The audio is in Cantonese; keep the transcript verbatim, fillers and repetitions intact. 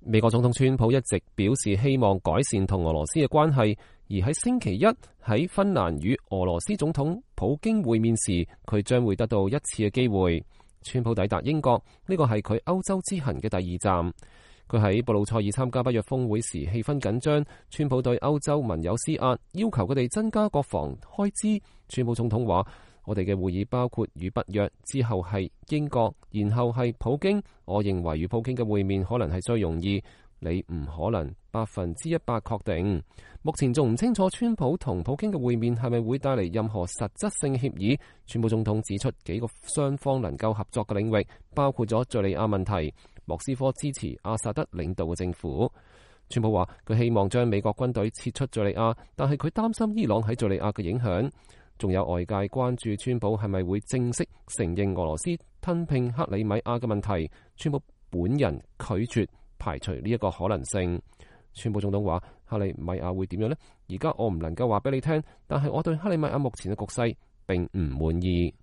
美國總統川普一直表示希望改善同俄羅斯嘅關係，而喺星期一喺芬蘭與俄羅斯總統普京會面時，佢將會得到一次嘅機會。川普抵達英國，呢個係佢歐洲之行嘅第二站。佢喺布魯塞爾參加北約峰會時，氣氛緊張。川普對歐洲盟友施壓，要求佢哋增加國防開支。川普總統話：我哋嘅會議包括與北約，之後係英國，然後係普京。我認為與普京嘅會面可能係最容易，你唔可能百分之一百確定。目前仲唔清楚川普同普京嘅會面係咪會帶嚟任何實質性協議。川普總統指出幾個雙方能夠合作嘅領域，包括咗敘利亞問題。莫斯科支持阿薩德領導嘅政府。川普話佢希望將美國軍隊撤出敘利亞，但係佢擔心伊朗喺敘利亞嘅影響。仲有外界關注川普係咪會正式承認俄羅斯吞併克里米亞嘅問題。川普本人拒絕排除呢一個可能性。川普總統話：克里米亞會點樣呢？而家我唔能夠話俾你聽，但係我對克里米亞目前嘅局勢並唔滿意。